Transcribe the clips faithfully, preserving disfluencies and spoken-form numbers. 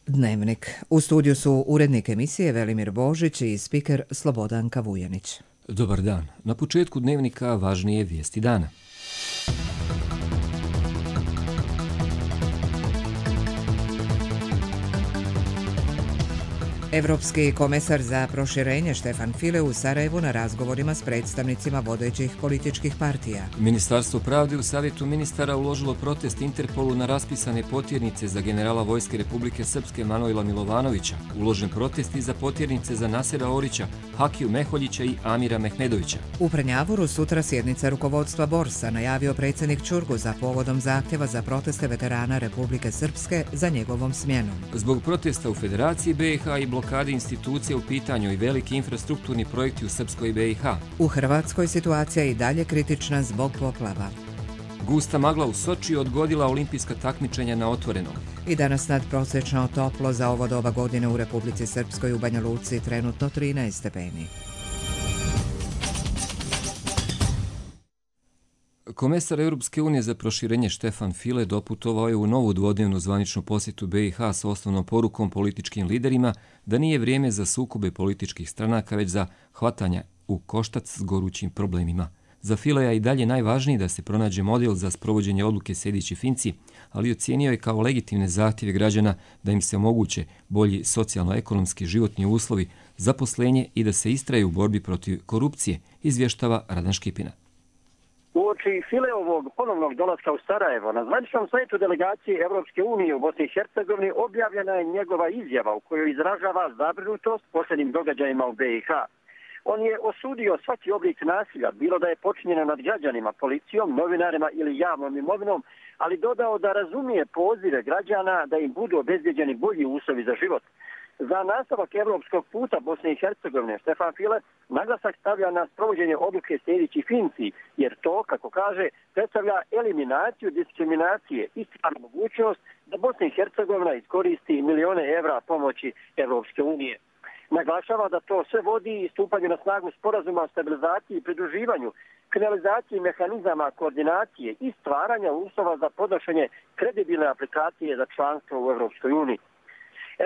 Dnevnik. U studiju su urednik emisije Velimir Božić i spiker Slobodanka Vujanić. Dobar dan. Na početku Dnevnika važnije vijesti dana. Evropski komesar za proširenje Štefan File u Sarajevu na razgovorima s predstavnicima vodećih političkih partija. Ministarstvo pravde u Savjetu ministara uložilo protest Interpolu na raspisane potjernice za generala Vojske Republike Srpske Manojla Milovanovića, uložen protest i za potjernice za Nasera Orića, Hakiju Meholjića i Amira Mehmedovića. U Prnjavoru sutra sjednica rukovodstva Borsa, najavio predsjednik Čurguza povodom zahtjeva za proteste veterana Republike Srpske za njegovom smjenom. Zbog protesta u Federaciji B i H i blokade institucije u pitanju i veliki infrastrukturni projekti u Srpskoj B i H. U Hrvatskoj situacija je i dalje kritična zbog poplava. Gusta magla u Sočiju odgodila olimpijska takmičenja na otvorenom. I danas nadprosječno toplo za ovo doba godine u Republici Srpskoj, u Banja Luci trenutno trinaest stepeni. Komesar Europske unije za proširenje Štefan File doputovao je u novu dvodnevnu zvaničnu posjetu B i H s osnovnom porukom političkim liderima da nije vrijeme za sukobe političkih stranaka, već za hvatanja u koštac s gorućim problemima. Za Fileja i dalje najvažniji da se pronađe model za sprovođenje odluke Sejdić i Finci, ali ocijenio je kao legitimne zahtjeve građana da im se omoguće bolji socijalno-ekonomski životni uslovi, zaposlenje i da se istraje u borbi protiv korupcije, izvještava Radan Škipina. Uoči Fileovog ponovnog dolaska u Sarajevo, na zvaničnom sajtu delegacije Evropske unije u Bosni i Hercegovini objavljena je njegova izjava u kojoj izražava zabrinutost posljednjim događajima u B i H. On je osudio svaki oblik nasilja, bilo da je počinjeno nad građanima, policijom, novinarima ili javnom imovinom, ali dodao da razumije pozive građana da im budu obezbjeđeni bolji uslovi za život. Za nastavak evropskog puta Bosne i Hercegovine Štefan File naglasak stavlja na sprovođenje odluke Sejdić i Finci, jer to, kako kaže, predstavlja eliminaciju diskriminacije i stvarnu mogućnost da Bosna i Hercegovina iskoristi milione evra pomoći Evropske unije. Naglašava da to sve vodi i stupanju na snagu sporazuma o stabilizaciji i pridruživanju, kriminalizaciji mehanizama koordinacije i stvaranja uslova za podnošenje kredibilne aplikacije za članstvo u Evropskoj uniji.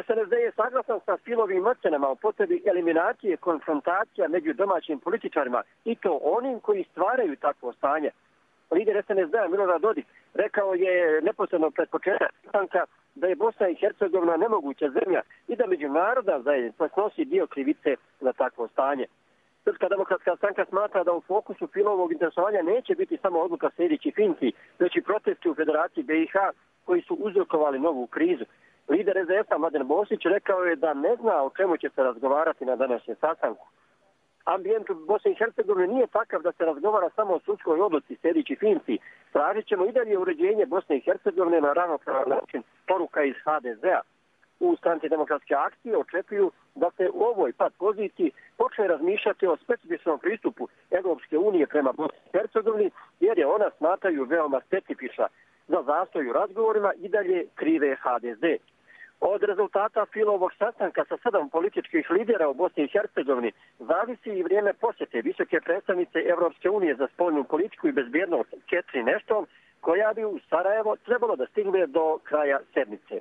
S N S D je saglasan sa Filovim ocenama o potrebi eliminacije konfrontacija među domaćim političarima i to onim koji stvaraju takvo stanje. Lider S N S D-a Milorad Dodik rekao je neposredno pred početak sastanka da je Bosna i Hercegovina nemoguća zemlja i da međunarodna zajednica snosi dio krivice za takvo stanje. Srpska demokratska stranka smatra da u fokusu Filovog interesovanja neće biti samo odluka Sejdić i Finci, već i protesti u Federaciji B i H koji su uzrokovali novu krizu. Lider S D S-a Mladen Bosić rekao je da ne zna o čemu će se razgovarati na današnjem sastanku. Ambijent u Bosni i Hercegovini nije takav da se razgovara samo o sudskoj odluci Sejdić i Finci. Tražit ćemo i dalje uređenje Bosne i Hercegovine na ravnopravan način, poruka iz H D Z-a. U stranci demokratske akcije očekuju da se u ovoj pad poziciji počne razmišljati o specifičnom pristupu Evropske unije prema Bosni i Hercegovini, jer je ona smatraju veoma specifična. Za zastoj u razgovorima i dalje krive H D Z. Od rezultata Filovog sastanka sa sedam političkih lidera u Bosni i Hercegovini zavisi i vrijeme posjete visoke predstavnice Evropske unije za spoljnu politiku i bezbjednost Catherine Ashton, koja bi u Sarajevo trebalo da stigne do kraja sedmice.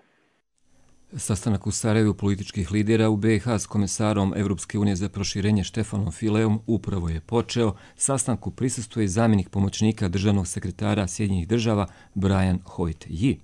Sastanak u Sarajevu političkih lidera u B i H s komesarom Evropske unije za proširenje Štefanom Fileom upravo je počeo. Sastanku prisustvuje zamjenik pomoćnika državnog sekretara Sjedinjenih država Brian Hoyt-Yi.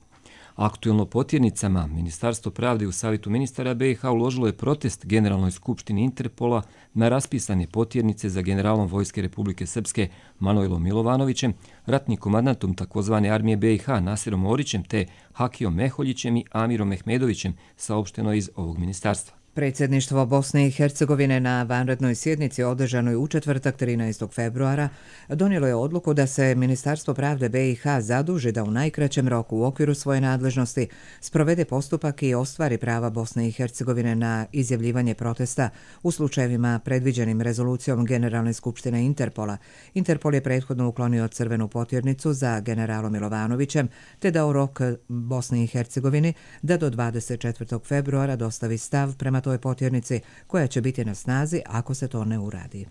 Aktuelno potjernicama Ministarstvo pravde u Savjetu ministara B i H uložilo je protest Generalnoj skupštini Interpola na raspisane potjernice za generalom Vojske Republike Srpske Manojlom Milovanovićem, ratnim komandantom takozvane armije B i H Naserom Orićem te Hakijom Meholjićem i Amirom Mehmedovićem, saopšteno iz ovog ministarstva. Predsjedništvo Bosne i Hercegovine na vanrednoj sjednici održanoj u četvrtak trinaestog februara donijelo je odluku da se Ministarstvo pravde B i H zaduži da u najkraćem roku u okviru svoje nadležnosti sprovede postupak i ostvari prava Bosne i Hercegovine na izjavljivanje protesta u slučajevima predviđenim rezolucijom Generalne skupštine Interpola. Interpol je prethodno uklonio crvenu potjernicu za generalom Milovanovićem te dao rok Bosni i Hercegovini da do dvadeset četvrtog februara dostavi stav prema toj potjernici koja će biti na snazi ako se to ne uradi.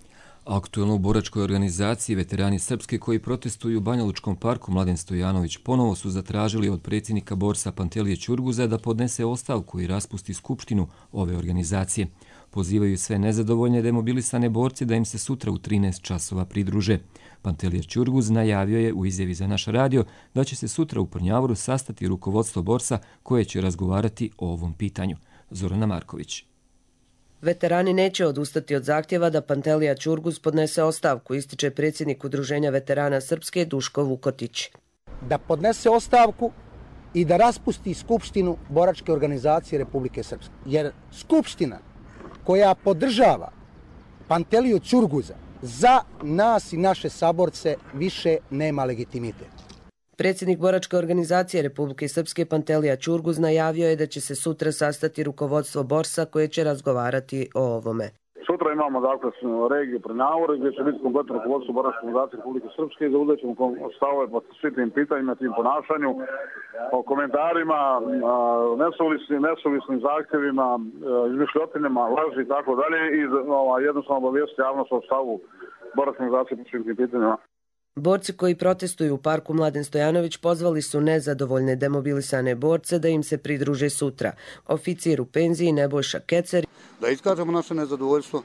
Aktuelno u boračkoj organizaciji veterani Srpske koji protestuju u Banjalučkom parku Mladen Stojanović ponovo su zatražili od predsjednika borsa Pantelije Ćurguza da podnese ostavku i raspusti skupštinu ove organizacije. Pozivaju sve nezadovoljne demobilisane borce da im se sutra u trinaest časova pridruže. Pantelija Ćurguz najavio je u izjavi za naš radio da će se sutra u Prnjavoru sastati rukovodstvo borsa koje će razgovarati o ovom pitanju. Zorana Marković. Veterani neće odustati od zahtjeva da Pantelija Ćurguz podnese ostavku, ističe predsjednik Udruženja veterana Srpske Duško Vukotić. Da podnese ostavku i da raspusti skupštinu boračke organizacije Republike Srpske. Jer skupština koja podržava Panteliju Ćurguza za nas i naše saborce više nema legitimitet. Predsjednik boračke organizacije Republike Srpske Pantelija Ćurguz najavio je da će se sutra sastati rukovodstvo borsa koje će razgovarati o ovome. Sutra imamo dakle regiju Prnjavore gdje će biti kompletno rukovodstvo boračke organizacije Republike Srpske i zauzet ćemo stavove po svim tim pitanjima, tim ponašanju, o komentarima, nesuvisnim, nesuvisnim zahtjevima, izmišljotinama, laži i tako dalje i jednostavno obavijesti javnost o stavu boračke organizacije po svim tim pitanjima. Borci koji protestuju u parku Mladen Stojanović pozvali su nezadovoljne demobilisane borce da im se pridruže sutra. Oficir u penziji Nebojša Kecer. Da iskažemo naše nezadovoljstvo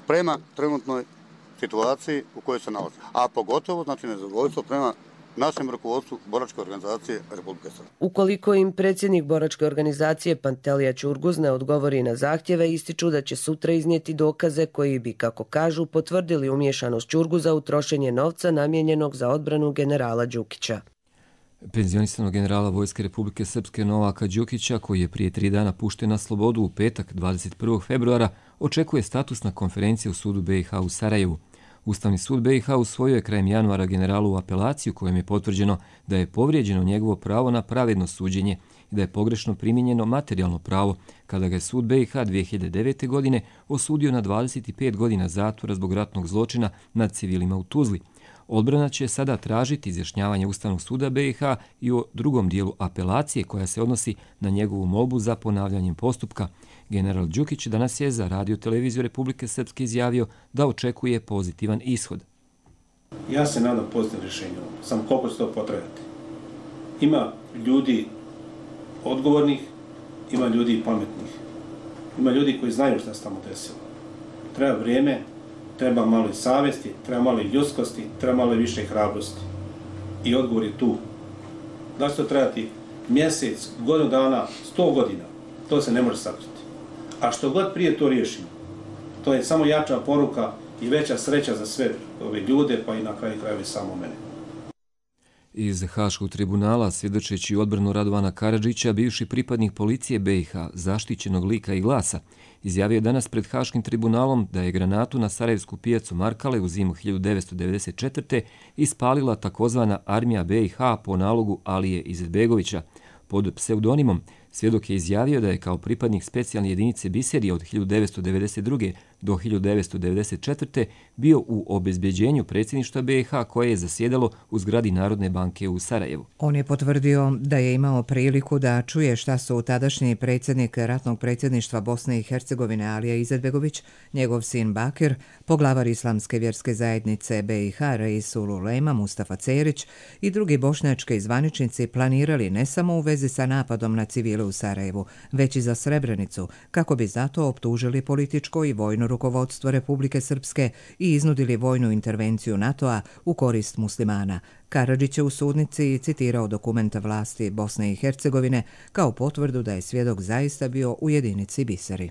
prema trenutnoj situaciji u kojoj se nalazi. A pogotovo znači nezadovoljstvo prema našem rukovodstvu boračke organizacije Republike Srpske. Ukoliko im predsjednik boračke organizacije Pantelija Ćurguz ne odgovori na zahtjeve, ističu da će sutra iznijeti dokaze koji bi, kako kažu, potvrdili umješanost Ćurguza u trošenje novca namijenjenog za odbranu generala Đukića. Penzionisanog generala Vojske Republike Srpske Novaka Đukića, koji je prije tri dana pušten na slobodu u petak dvadeset prvog februara, očekuje statusna konferencija u sudu be i ha u Sarajevu. Ustavni sud be i ha usvojio je krajem januara generalu u apelaciju kojom je potvrđeno da je povrijeđeno njegovo pravo na pravedno suđenje i da je pogrešno primijenjeno materijalno pravo kada ga je sud be i ha dvije hiljade devete. godine osudio na dvadeset pet godina zatvora zbog ratnog zločina nad civilima u Tuzli. Odbrana će sada tražiti izjašnjavanje Ustavnog suda be i ha i o drugom dijelu apelacije koja se odnosi na njegovu molbu za ponavljanjem postupka. General Đukić danas je za Radio televiziju Republike Srpske izjavio da očekuje pozitivan ishod. Ja se nadam pozitivno rješenje, samo koliko će to potrajati. Ima ljudi odgovornih, ima ljudi pametnih, ima ljudi koji znaju šta se tamo desilo. Treba vrijeme, treba malo i savjesti, treba malo i ljudskosti, treba malo i više hrabrosti. I odgovor je tu. Da će to trebati mjesec, godinu dana, sto godina, to se ne može sakriti. A što god prije to riješimo, to je samo jača poruka i veća sreća za sve ove ljude, pa i na kraju krajeva samo mene. Iz Haškog tribunala, svjedočeći odbranu Radovana Karadžića, bivši pripadnik policije be i ha, zaštićenog lika i glasa, izjavio je danas pred Haškim tribunalom da je granatu na sarajevsku pijacu Markale u zimu hiljadu devetsto devedeset četvrte. ispalila takozvana armija be i ha po nalogu Alije Izetbegovića. Pod pseudonimom svjedok je izjavio da je kao pripadnik specijalne jedinice Biserije od hiljadu devetsto devedeset druge. do hiljadu devetsto devedeset četvrte. bio u obezbeđenju predsjedništva be i ha koje je zasjedalo u zgradi Narodne banke u Sarajevu. On je potvrdio da je imao priliku da čuje šta su tadašnji predsjednik ratnog predsjedništva Bosne i Hercegovine Alija Izetbegović, njegov sin Bakir, poglavar Islamske vjerske zajednice be i ha Reisul Ulema Mustafa Cerić i drugi bošnjački zvaničnici planirali ne samo u vezi sa napadom na civile u Sarajevu, već i za Srebrenicu, kako bi zato optužili političko i vojno rukovodstvo Republike Srpske i iznudili vojnu intervenciju NATO-a u korist muslimana. Karadžić je u sudnici citirao dokumenta vlasti Bosne i Hercegovine kao potvrdu da je svjedok zaista bio u jedinici Biseri.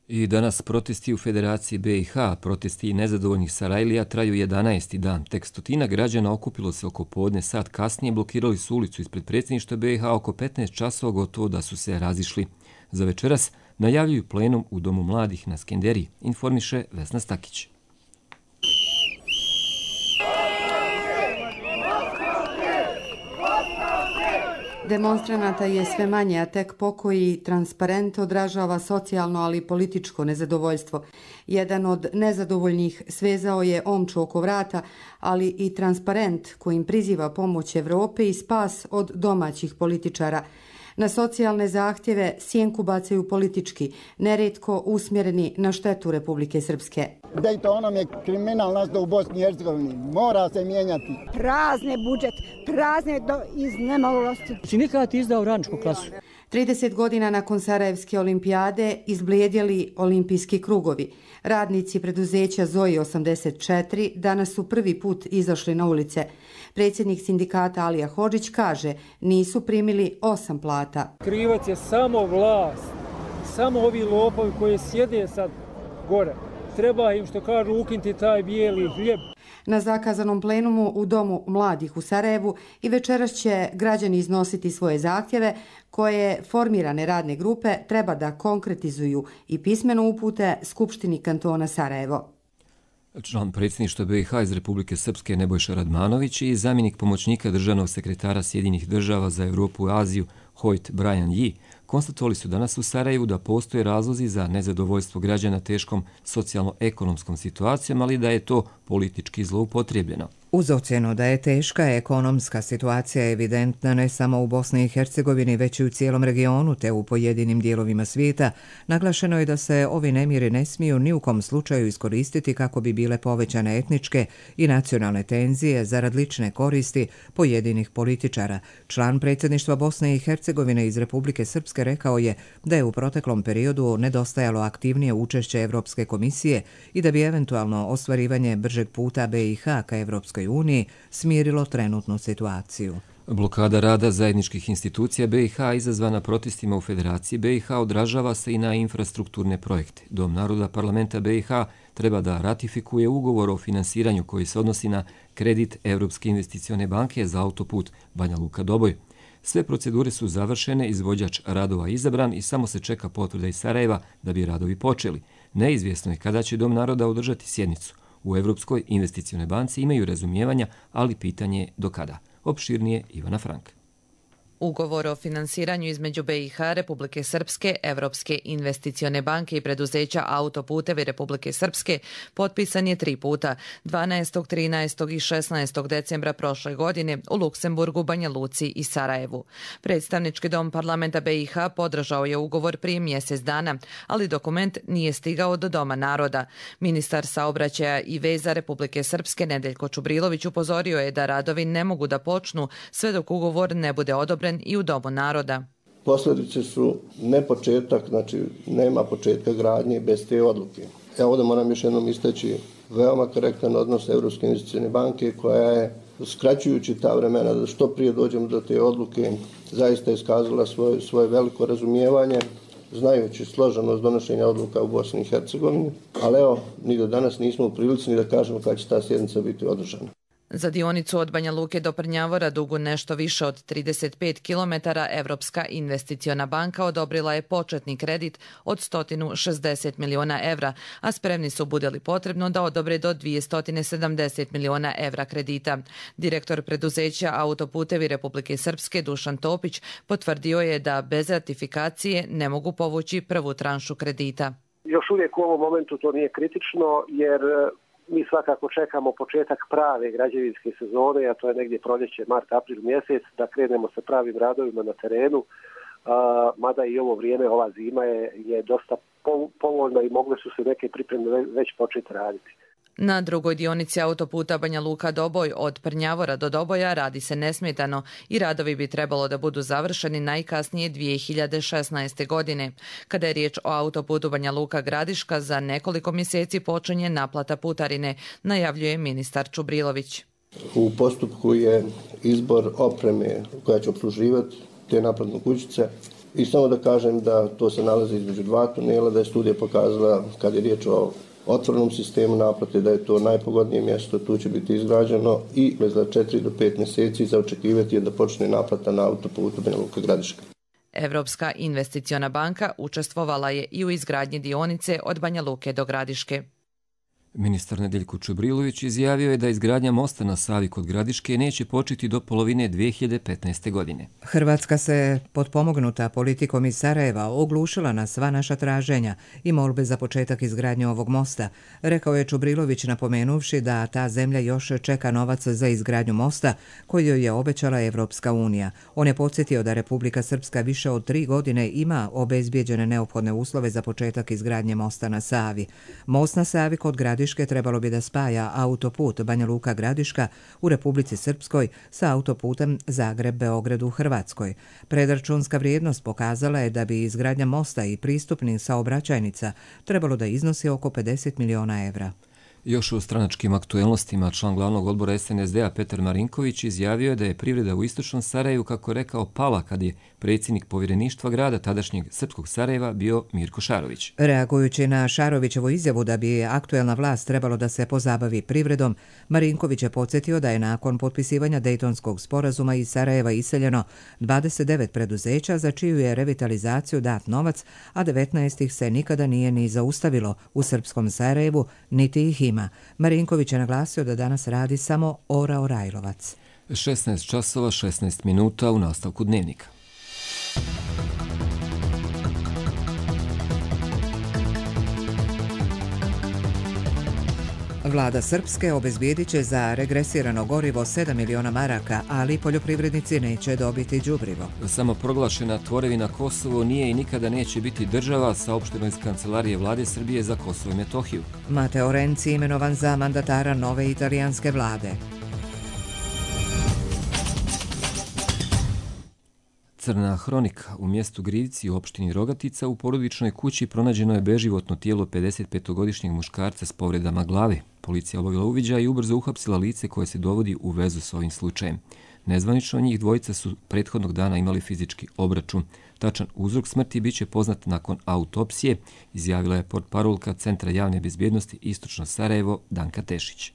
I danas protesti u Federaciji be i ha, protesti nezadovoljnih Sarajlija traju jedanaesti dan. Tek stotina građana okupilo se oko podne sat kasnije, blokirali su ulicu ispred predsjedništva be i ha oko petnaest časova, gotovo da su se razišli. Za večeras najavljuju plenum u Domu mladih na Skenderiji, informiše Vesna Stakić. Demonstranata je sve manje, a tek pokoji transparent odražava socijalno, ali i političko nezadovoljstvo. Jedan od nezadovoljnih svezao je omču oko vrata, ali i transparent kojim priziva pomoć Evrope i spas od domaćih političara. Na socijalne zahtjeve sjenku bacaju politički, nerijetko usmjereni na štetu Republike Srpske. Dejtonom je kriminal nastao u Bosni i Hercegovini. Mora se mijenjati. Prazne budžet, prazne do iz nemalosti. Sindikat izdao radničku klasu. trideset godina nakon Sarajevske olimpijade izblijedjeli olimpijski krugovi. Radnici preduzeća Zoji osamdeset četiri danas su prvi put izašli na ulice. Predsjednik sindikata Alija Hodžić kaže nisu primili osam plata. Krivac je samo vlast, samo ovi lopovi koji sjede sad gore. Treba im, što kažu, ukinuti taj bijeli hljeb. Na zakazanom plenumu u Domu mladih u Sarajevu i večeras će građani iznositi svoje zahtjeve koje formirane radne grupe treba da konkretizuju i pismeno upute Skupštini kantona Sarajevo. Član predsjedništva B i H iz Republike Srpske Nebojša Radmanović i zamjenik pomoćnika državnog sekretara Sjedinjenih država za Europu i Aziju Hoyt Brian Yi konstatovali su danas u Sarajevu da postoje razlozi za nezadovoljstvo građana teškom socijalno-ekonomskom situacijom, ali da je to politički zloupotrijebljeno. Uz ocjenu da je teška ekonomska situacija evidentna ne samo u Bosni i Hercegovini, već i u cijelom regionu te u pojedinim dijelovima svijeta, naglašeno je da se ovi nemiri ne smiju ni u kom slučaju iskoristiti kako bi bile povećane etničke i nacionalne tenzije zarad lične koristi pojedinih političara. Član predsjedništva Bosne i Hercegovine iz Republike Srpske rekao je da je u proteklom periodu nedostajalo aktivnije učešće Evropske komisije i da bi eventualno ostvarivanje bržeg puta B i H ka Evropskoj uniji smirilo trenutnu situaciju. Blokada rada zajedničkih institucija B i H izazvana protestima u Federaciji B i H odražava se i na infrastrukturne projekte. Dom naroda parlamenta B i H treba da ratifikuje ugovor o finansiranju koji se odnosi na kredit Evropske investicione banke za autoput Banja Luka-Doboj. Sve procedure su završene, izvođač radova izabran i samo se čeka potvrda iz Sarajeva da bi radovi počeli. Neizvjesno je kada će Dom naroda održati sjednicu. U Evropskoj investicionoj banci imaju razumijevanja, ali pitanje je do kada. Opširnije Ivana Frank. Ugovor o finansiranju između B i H, Republike Srpske, Evropske investicione banke i preduzeća Autoputevi Republike Srpske potpisan je tri puta, dvanaestog, trinaestog i šesnaestog decembra prošle godine u Luksemburgu, Banja Luci i Sarajevu. Predstavnički dom parlamenta B i H podržao je ugovor prije mjesec dana, ali dokument nije stigao do Doma naroda. Ministar saobraćaja i veza Republike Srpske Nedeljko Čubrilović upozorio je da radovi ne mogu da počnu sve dok ugovor ne bude odobren i u Domu naroda. Posljedice su ne početak, znači nema početka gradnje bez te odluke. Ja ovdje moram još jednom istaći veoma korektan odnos Evropske investicione banke koja je, skraćujući ta vremena da što prije dođemo do te odluke, zaista iskazala svoje, svoje veliko razumijevanje, znajući složenost donošenja odluka u Bosni i Hercegovini, ali evo, ni do danas nismo u prilici ni da kažemo kada će ta sjednica biti održana. Za dionicu od Banja Luke do Prnjavora, dugu nešto više od trideset pet kilometara, Evropska investiciona banka odobrila je početni kredit od sto šezdeset miliona evra, a spremni su, bude li potrebno, da odobre do dvjesto sedamdeset miliona evra kredita. Direktor preduzeća Autoputevi Republike Srpske Dušan Topić potvrdio je da bez ratifikacije ne mogu povući prvu tranšu kredita. Još uvijek u ovom momentu to nije kritično jer mi svakako čekamo početak prave građevinske sezone, a to je negdje proljeće, mart, april mjesec, da krenemo sa pravim radovima na terenu, a, mada i ovo vrijeme, ova zima je, je dosta povoljna i mogle su se neke pripreme već početi raditi. Na drugoj dionici autoputa Banja Luka-Doboj od Prnjavora do Doboja radi se nesmetano i radovi bi trebalo da budu završeni najkasnije dvije hiljade šesnaeste. godine. Kada je riječ o autoputu Banja Luka-Gradiška, za nekoliko mjeseci počinje naplata putarine, najavljuje ministar Čubrilović. U postupku je izbor opreme koja će obsluživati te naplatne kućice i samo da kažem da to se nalazi između dva tunela, da je studija pokazala kad je riječ o otvorenom sistemu naplate da je to najpogodnije mjesto, tu će biti izgrađeno i za četiri do pet mjeseci za očekivati je da počne naplata na autoputu Banja Luka-Gradiška. Evropska investiciona banka učestvovala je i u izgradnji dionice od Banja Luke do Gradiške. Ministar Nedeljko Čubrilović izjavio je da izgradnja mosta na Savi kod Gradiške neće početi do polovine dve hiljade petnaeste. godine. Hrvatska se, potpomognuta politikom iz Sarajeva, oglušila na sva naša traženja i molbe za početak izgradnje ovog mosta, rekao je Čubrilović, napomenuvši da ta zemlja još čeka novac za izgradnju mosta koji joj je obećala Evropska unija. On je podsjetio da Republika Srpska više od tri godine ima obezbijeđene neophodne uslove za početak izgradnje mosta na Savi. Most na Savi kod Gradiške trebalo bi da spaja autoput Banja Luka-Gradiška u Republici Srpskoj sa autoputem Zagreb-Beograd u Hrvatskoj. Predračunska vrijednost pokazala je da bi izgradnja mosta i pristupnih saobraćajnica trebalo da iznosi oko pedeset miliona evra. Još u stranačkim aktuelnostima član glavnog odbora S N S D-a Petar Marinković izjavio je da je privreda u istočnom Sarajevu, kako rekao, pala kad je predsjednik povjereništva grada tadašnjeg srpskog Sarajeva bio Mirko Šarović. Reagujući na Šarovićevu izjavu da bi aktuelna vlast trebalo da se pozabavi privredom, Marinković je podsjetio da je nakon potpisivanja Dejtonskog sporazuma iz Sarajeva iseljeno dvadeset devet preduzeća za čiju je revitalizaciju dat novac, a devetnaest ih se nikada nije ni zaustavilo u srpskom Sarajevu, niti ih ima. Marinković je naglasio da danas radi samo Ora Orajlovac. šesnaest časova šesnaest minuta u nastavku dnevnika. Vlada Srpske obezbijedit će za regresirano gorivo sedam miliona maraka, ali poljoprivrednici neće dobiti đubrivo. Samoproglašena tvorevina Kosovo nije i nikada neće biti država, saopšteno iz Kancelarije Vlade Srbije za Kosovo i Metohiju. Mateo Renci imenovan za mandatara nove italijanske vlade. Crna hronika. U mjestu Grivci u opštini Rogatica u porodičnoj kući pronađeno je beživotno tijelo pedesetpetogodišnjeg muškarca s povredama glave. Policija obavila uviđaj i ubrzo uhapsila lice koje se dovodi u vezu s ovim slučajem. Nezvanično njih dvojica su prethodnog dana imali fizički obračun. Tačan uzrok smrti bit će poznat nakon autopsije, izjavila je portparolka Centra javne bezbjednosti Istočno Sarajevo Danka Tešić.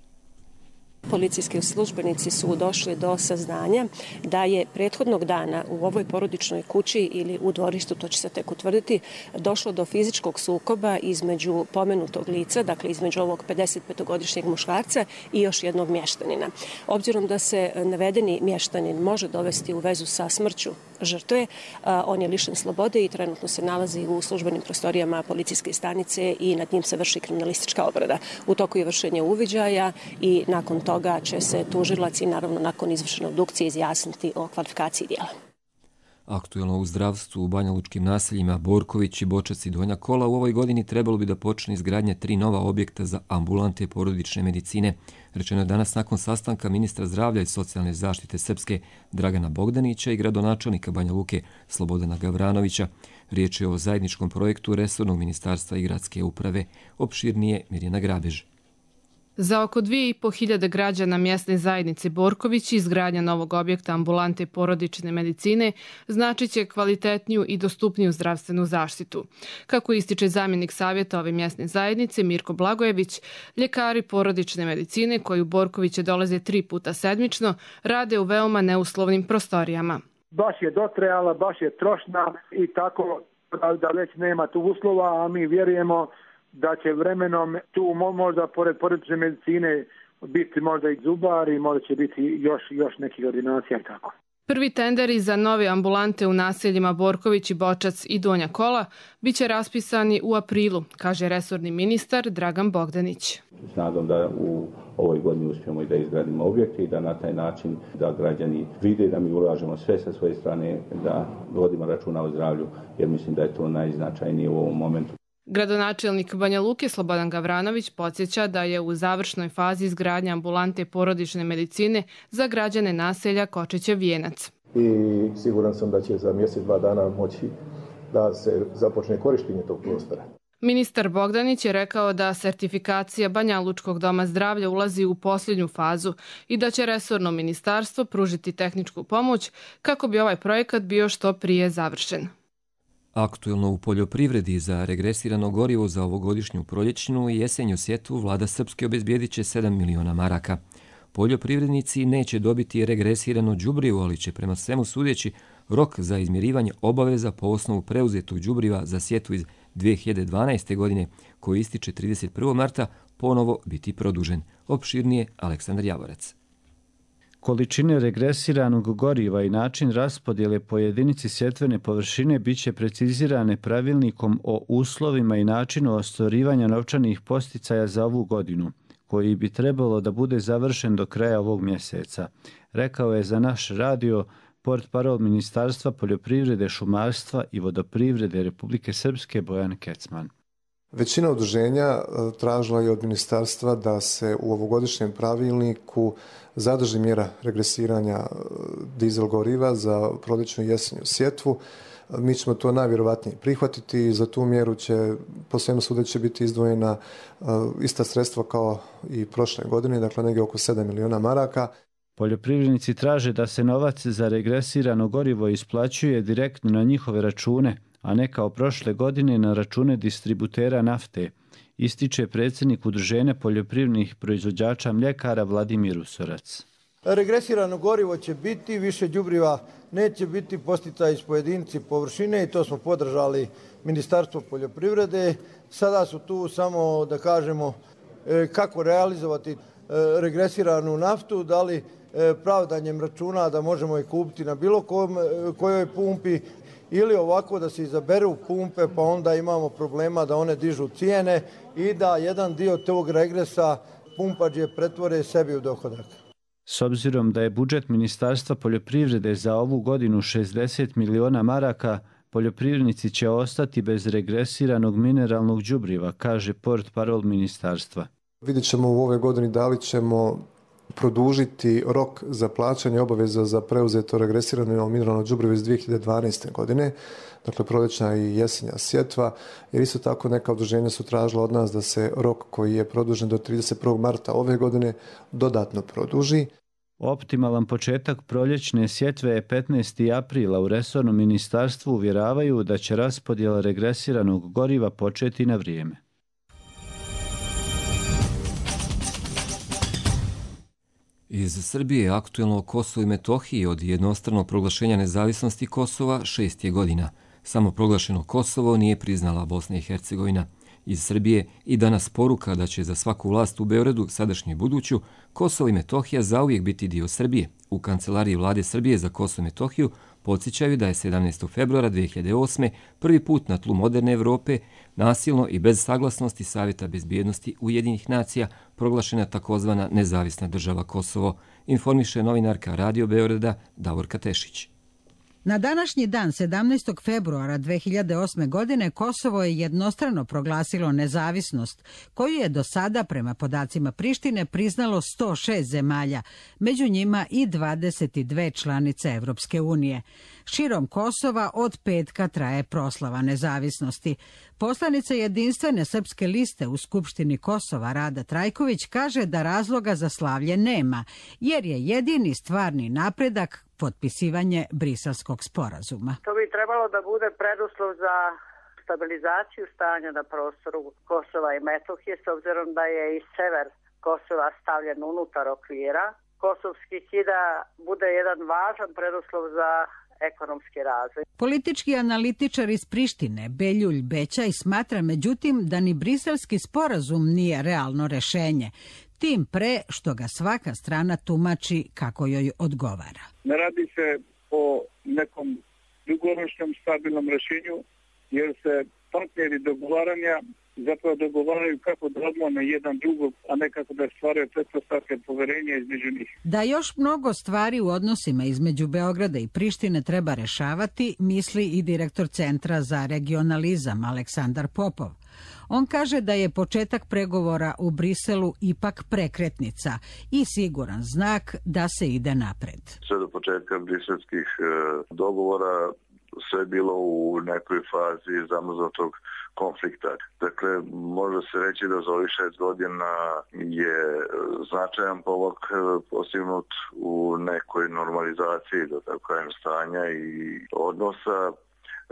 Policijski službenici su došli do saznanja da je prethodnog dana u ovoj porodičnoj kući ili u dvorištu, to će se tek utvrditi, došlo do fizičkog sukoba između pomenutog lica, dakle između ovog pedesetpetogodišnjeg muškarca i još jednog mještanina. Obzirom da se navedeni mještanin može dovesti u vezu sa smrću žrtve, on je lišen slobode i trenutno se nalazi u službenim prostorijama policijske stanice i nad njim se vrši kriminalistička obrada. U toku je vršenje uviđaja i nakon toga će se tužilac i naravno nakon izvršene obdukcije izjasniti o kvalifikaciji dijela. Aktuelno u zdravstvu u banjalučkim naseljima Borković, Bočac i Donja Kola u ovoj godini trebalo bi da počne izgradnja tri nova objekta za ambulante porodične medicine. Rečeno je danas nakon sastanka ministra zdravlja i socijalne zaštite Srpske Dragana Bogdanića i gradonačelnika Banja Luke Slobodana Gavranovića. Riječ je o zajedničkom projektu resornog ministarstva i gradske uprave. Opširnije Mirjana Grabež. Za oko dvije i po hiljade građana mjesne zajednice Borković izgradnja novog objekta ambulante porodične medicine znači će kvalitetniju i dostupniju zdravstvenu zaštitu. Kako ističe zamjenik savjeta ove mjesne zajednice Mirko Blagojević, ljekari porodične medicine koji u Borkoviće dolaze tri puta sedmično rade u veoma neuslovnim prostorijama. Baš je dotrajala, baš je trošna i tako da već nema tu uslova, a mi vjerujemo da će vremenom tu možda pored porodične medicine biti možda i zubari, možda će biti još, još nekih ordinacija i tako. Prvi tenderi za nove ambulante u naseljima Borković i Bočac i Donja Kola biće raspisani u aprilu, kaže resorni ministar Dragan Bogdanić. S nadom da u ovoj godini uspijemo i da izgradimo objekte i da na taj način da građani vide da mi ulažemo sve sa svoje strane, da vodimo računa o zdravlju, jer mislim da je to najznačajnije u ovom momentu. Gradonačelnik Banja Luke Slobodan Gavranović podsjeća da je u završnoj fazi izgradnja ambulante porodične medicine za građane naselja Kočićev Vijenac. I siguran sam da će za mjesec, dva dana moći da se započne korištenje tog prostora. Ministar Bogdanić je rekao da sertifikacija Banja Lučkog doma zdravlja ulazi u posljednju fazu i da će resorno ministarstvo pružiti tehničku pomoć kako bi ovaj projekat bio što prije završen. Aktuelno u poljoprivredi za regresirano gorivo za ovogodišnju proljećnu i jesenju sjetvu vlada Srpske obezbijedit će sedam miliona maraka. Poljoprivrednici neće dobiti regresirano đubrivo, ali će prema svemu sudeći rok za izmirivanje obaveza po osnovu preuzetog đubriva za sjetvu iz dvije hiljade dvanaeste. godine, koji ističe trideset prvog marta, ponovo biti produžen. Opširnije Aleksandar Javorac. Količine regresiranog goriva i način raspodjele po jedinici sjetvene površine biće precizirane pravilnikom o uslovima i načinu ostvarivanja novčanih posticaja za ovu godinu, koji bi trebalo da bude završen do kraja ovog mjeseca, rekao je za naš radio portparol Ministarstva poljoprivrede, šumarstva i vodoprivrede Republike Srpske Bojan Kecman. Većina udruženja tražila je od ministarstva da se u ovogodišnjem pravilniku zadrži mjera regresiranja dizel goriva za proljećnu i jesenju sjetvu. Mi ćemo to najvjerovatnije prihvatiti i za tu mjeru će po svemu sudeći biti izdvojena ista sredstva kao i prošle godine, dakle negdje oko sedam miliona maraka. Poljoprivrednici traže da se novac za regresirano gorivo isplaćuje direktno na njihove račune, a ne kao prošle godine na račune distributera nafte, ističe predsjednik Udruženja poljoprivrednih proizvođača mljekara Vladimir Usorac. Regresirano gorivo će biti, više đubriva neće biti, posticaj iz pojedinci površine i to smo podržali Ministarstvo poljoprivrede. Sada su tu samo da kažemo kako realizovati regresiranu naftu, da li pravdanjem računa da možemo je kupiti na bilo kojoj pumpi ili ovako da se izaberu pumpe pa onda imamo problema da one dižu cijene i da jedan dio tog regresa pumpađe pretvore sebi u dohodak. S obzirom da je budžet Ministarstva poljoprivrede za ovu godinu šezdeset miliona maraka, poljoprivrednici će ostati bez regresiranog mineralnog đubriva, kaže portparol ministarstva. Vidjet ćemo u ove godini da li ćemo produžiti rok za plaćanje obaveza za preuzeto regresirano mineralno đubrivo iz dvije hiljade dvanaeste. godine, dakle proljećna i jesenja sjetva, jer isto tako neka udruženja su tražila od nas da se rok koji je produžen do trideset prvog marta ove godine dodatno produži. Optimalan početak proljećne sjetve je petnaestog aprila. U resornom ministarstvu uvjeravaju da će raspodjela regresiranog goriva početi na vrijeme. Iz Srbije je aktuelno o Kosovu i Metohiji od jednostranog proglašenja nezavisnosti Kosova šest je godina. Samo proglašeno Kosovo nije priznala Bosna i Hercegovina. Iz Srbije i danas poruka da će za svaku vlast u Beogradu, sadašnju i buduću, Kosovo i Metohija zauvijek biti dio Srbije. U kancelariji vlade Srbije za Kosovo i Metohiju podsjećaju da je sedamnaestog februara dvije hiljade osme. prvi put na tlu moderne Evrope nasilno i bez saglasnosti Savjeta bezbjednosti Ujedinjenih nacija proglašena takozvana nezavisna država Kosovo, informiše novinarka Radio Beograda Davorka Tešić. Na današnji dan, sedamnaestog februara dvije hiljade osme. godine, Kosovo je jednostrano proglasilo nezavisnost, koju je do sada, prema podacima Prištine, priznalo sto šest zemalja, među njima i dvadeset dvije članice Evropske unije. Širom Kosova od petka traje proslava nezavisnosti. Poslanica jedinstvene srpske liste u Skupštini Kosova Rada Trajković kaže da razloga za slavlje nema, jer je jedini stvarni napredak potpisivanje Briselskog sporazuma. To bi trebalo da bude preduslov za stabilizaciju stanja na prostoru Kosova i Metohije, s obzirom da je i sever Kosova stavljen unutar okvira kosovskih i da bude jedan važan preduslov za ekonomski razvoj. Politički analitičar iz Prištine Beljulj Bećaj smatra međutim da ni briselski sporazum nije realno rešenje, tim pre što ga svaka strana tumači kako joj odgovara. Ne radi se o nekom dugoročnom stabilnom rešenju, jer se partneri dogovaranja zapravo dogovaraju kako da odmone jedan drugog, a ne kako da stvaraju pretpostavke poverenja između njih. Da još mnogo stvari u odnosima između Beograda i Prištine treba rešavati, misli i direktor Centra za regionalizam Aleksandar Popov. On kaže da je početak pregovora u Briselu ipak prekretnica i siguran znak da se ide napred. Sve do početka briselskih dogovora sve bilo u nekoj fazi zamrznutog konflikta. Dakle, može se reći da za ovih šest godina je značajan pomak postignut u nekoj normalizaciji, da tako kažem, stanja i odnosa.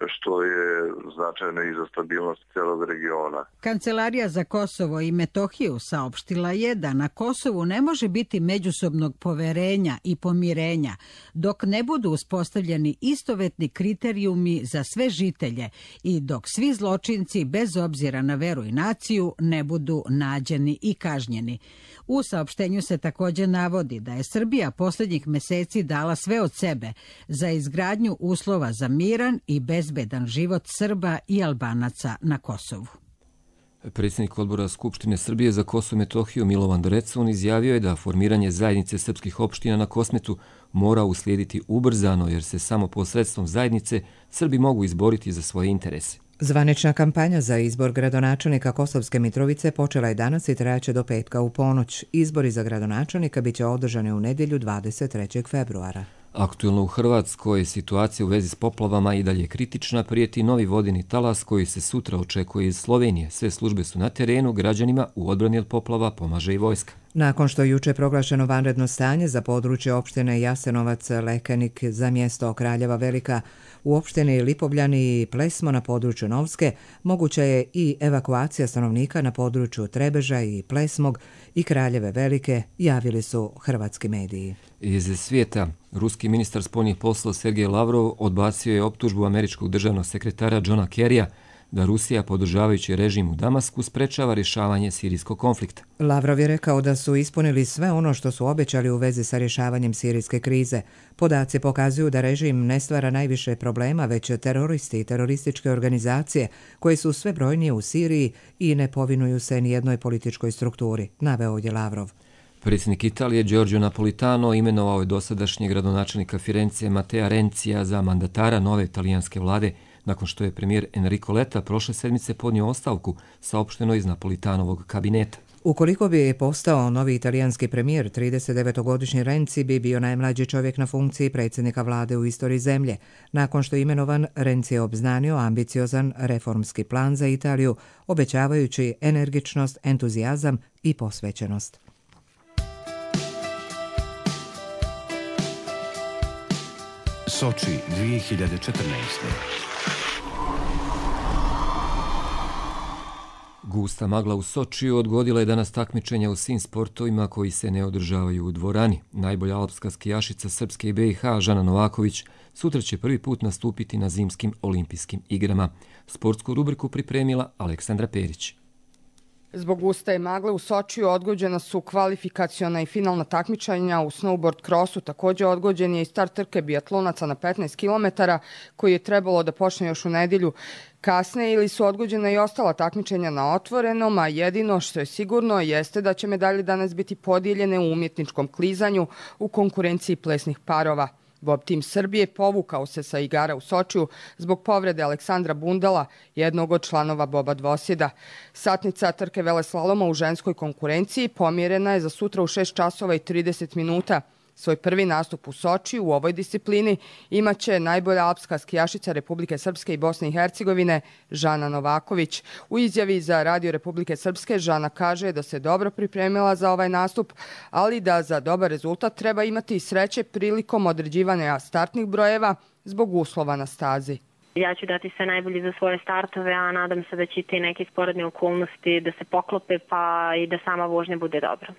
što je značajno i za stabilnost celog regiona. Kancelarija za Kosovo i Metohiju saopštila je da na Kosovu ne može biti međusobnog poverenja i pomirenja dok ne budu uspostavljeni istovetni kriterijumi za sve žitelje i dok svi zločinci bez obzira na veru i naciju ne budu nađeni i kažnjeni. U saopštenju se također navodi da je Srbija posljednjih meseci dala sve od sebe za izgradnju uslova za miran i bezbedan život Srba i Albanaca na Kosovu. Predsjednik odbora Skupštine Srbije za Kosovo i Metohiju Milovan Drecun izjavio je da formiranje zajednice srpskih opština na Kosmetu mora uslijediti ubrzano jer se samo posredstvom zajednice Srbi mogu izboriti za svoje interese. Zvanična kampanja za izbor gradonačelnika Kosovske Mitrovice počela je danas i trajaće do petka u ponoć. Izbori za gradonačelnika biće održani u nedjelju dvadeset trećeg februara. Aktuelno u Hrvatskoj situacija u vezi s poplavama i dalje kritična, prijeti novi vodeni talas koji se sutra očekuje iz Slovenije. Sve službe su na terenu, građanima u odbrani od poplava pomaže i vojska. Nakon što je juče proglašeno vanredno stanje za područje opštine Jasenovac, Lekenik za mjesto Kraljeva Velika, u opštini Lipovljani i Plesmo na području Novske moguća je i evakuacija stanovnika na području Trebeža i Plesmog i Kraljeve Velike, javili su hrvatski mediji. Iz svijeta, ruski ministar spoljnih poslova Sergej Lavrov odbacio je optužbu američkog državnog sekretara Johna Kerrya da Rusija, podržavajući režim u Damasku, sprečava rješavanje sirijskog konflikta. Lavrov je rekao da su ispunili sve ono što su obećali u vezi sa rješavanjem sirijske krize. Podaci pokazuju da režim ne stvara najviše problema, već teroristi i terorističke organizacije koje su sve brojnije u Siriji i ne povinuju se ni jednoj političkoj strukturi, naveo je Lavrov. Predsjednik Italije Giorgio Napolitano imenovao je dosadašnjeg gradonačelnika Firencije Matea Renzija za mandatara nove italijanske vlade, nakon što je premijer Enrico Letta prošle sedmice podnio ostavku, saopšteno iz Napolitanovog kabineta. Ukoliko bi postao novi italijanski premijer, tridesetdevetogodišnji Renzi bi bio najmlađi čovjek na funkciji predsjednika vlade u istoriji zemlje. Nakon što je imenovan, Renzi je obznanio ambiciozan reformski plan za Italiju, obećavajući energičnost, entuzijazam i posvećenost. Soči dvije hiljade četrnaeste. Gusta magla u Sočiju odgodila je danas takmičenja u svim sportovima koji se ne održavaju u dvorani. Najbolja alpska skijašica Srpske i B i H Žana Novaković sutra će prvi put nastupiti na zimskim olimpijskim igrama. Sportsku rubriku pripremila Aleksandra Perić. Zbog guste magle u Sočiju odgođena su kvalifikaciona i finalna takmičenja u snowboard crossu. Također odgođen je i start trke biatlonaca na petnaest kilometara koji je trebalo da počne još u nedjelju kasne ili su odgođena i ostala takmičenja na otvorenom, a jedino što je sigurno jeste da će medalje danas biti podijeljene u umjetničkom klizanju u konkurenciji plesnih parova. Bob tim Srbije povukao se sa igara u Sočiju zbog povrede Aleksandra Bundala, jednog od članova Boba dvosjeda. Satnica trke veleslaloma u ženskoj konkurenciji pomjerena je za sutra u šest časova i trideset minuta. Svoj prvi nastup u Sočiju u ovoj disciplini imaće najbolja alpska skijašica Republike Srpske i Bosne i Hercegovine Žana Novaković. U izjavi za Radio Republike Srpske Žana kaže da se dobro pripremila za ovaj nastup, ali da za dobar rezultat treba imati sreće prilikom određivanja startnih brojeva zbog uslova na stazi. Ja ću dati sve najbolje za svoje startove, a nadam se da će te neke sporedne okolnosti da se poklope pa i da sama vožnja bude dobra.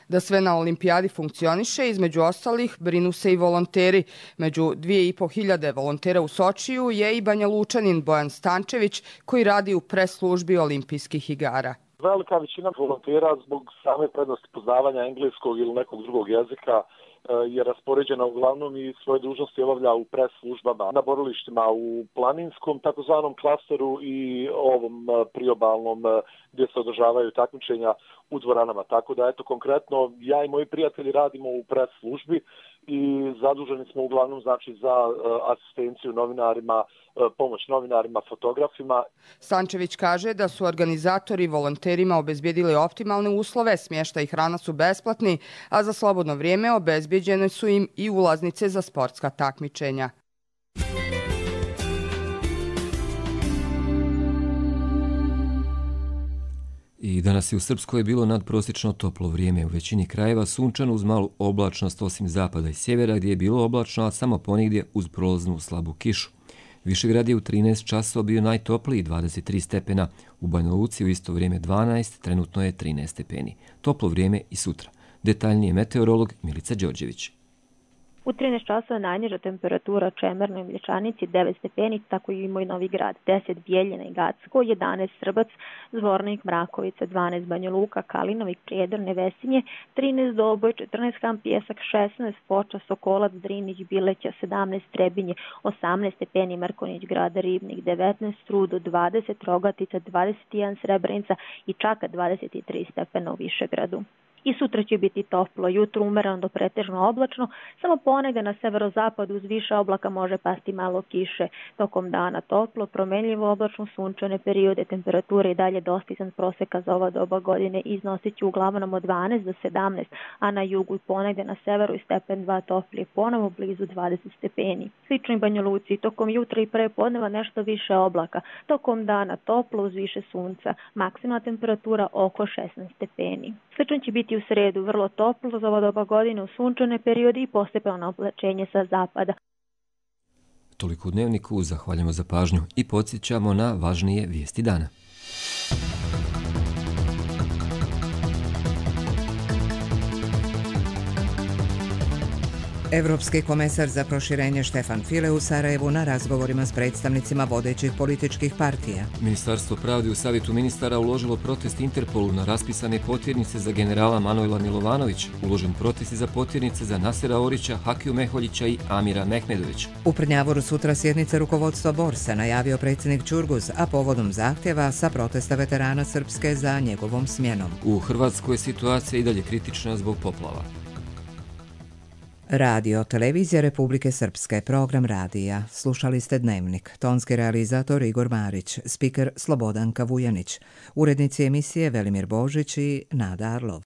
Da sve na olimpijadi funkcioniše, između ostalih brinu se i volonteri. Među dvije i po hiljade volontera u Sočiju je i Banja Lučanin Bojan Stančević koji radi u pres službi olimpijskih igara. Velika većina volontera zbog same prednosti poznavanja engleskog ili nekog drugog jezika je raspoređena uglavnom i svoje dužnosti obavlja u pres službama na borilištima u planinskom takozvanom klasteru i ovom priobalnom gdje se održavaju takmičenja u dvoranama. Tako da eto konkretno ja i moji prijatelji radimo u pres službi i zaduženi smo uglavnom znači za asistenciju novinarima, pomoć novinarima, fotografima. Stančević kaže da su organizatori volonterima obezbijedili optimalne uslove, smještaj i hrana su besplatni, a za slobodno vrijeme obezbijeđene su im i ulaznice za sportska takmičenja. I danas je u Srpskoj bilo nadprosječno toplo vrijeme. U većini krajeva sunčano uz malu oblačnost osim zapada i sjevera gdje je bilo oblačno, a samo ponigdje uz prolaznu slabu kišu. Višegrad je u trinaest časova bio najtopliji, dvadeset tri stepena. U Banja Luci u isto vrijeme dvanaest, trenutno je trinaest stepeni. Toplo vrijeme i sutra. Detaljnije meteorolog Milica Đorđević. U trinaest časova najniža temperatura u Čemernoj i Mlječanici devet stepeni, tako i moj Novi Grad, deset Bijeljina i Gacko, jedanaest Srbac, Zvornik, Mrakovica, dvanaest Banja Luka, Kalinovik, Prijedor, Nevesinje, trinaest Doboj, četrnaest Kamp Pjesak, šesnaest Foča, Sokolac, Drinić, Bileća, sedamnaest Trebinje, osamnaest stepeni Mrkonić Grada, Ribnik, devetnaest Rudo, dvadeset Rogatica, dvadeset jedan Srebrenica i čak dvadeset tri stepena u Višegradu. I sutra će biti toplo, jutro umereno do pretežno oblačno, samo ponegde na severozapadu uz više oblaka može pasti malo kiše. Tokom dana toplo, promenljivo oblačno, sunčane periode, temperature i dalje dostizan proseka za ova doba godine iznosit će uglavnom od dvanaest do sedamnaest, a na jugu i ponegde na severu i stepen dva toplije, ponovo blizu dvadeset stepeni. Slično i Banja Luci, tokom jutra i pre podneva nešto više oblaka, tokom dana toplo uz više sunca, maksimalna temperatura oko šesnaest stepeni. Slično će biti u sredu, vrlo toplo za ova doba godine u sunčane periode i postepeno oblačenje sa zapada. Toliko u dnevniku, zahvaljujemo za pažnju i podsjećamo na važnije vijesti dana. Evropski komesar za proširenje Štefan File u Sarajevu na razgovorima s predstavnicima vodećih političkih partija. Ministarstvo pravde u Savjetu ministara uložilo protest Interpolu na raspisane potjernice za generala Manojla Milovanovića, uložen protest za potjernice za Nasera Orića, Hakiju Meholjića i Amira Mehmedovića. U Prnjavoru sutra sjednica rukovodstva Borsa, najavio predsjednik Ćurguz, a povodom zahtjeva sa protesta veterana Srpske za njegovom smjenom. U Hrvatskoj je situacija i dalje kritična zbog poplava. Radio, televizija Republike Srpske, program radija. Slušali ste Dnevnik. Tonski realizator Igor Marić, spiker Slobodanka Vujanić, urednici emisije Velimir Božić i Nada Arlov.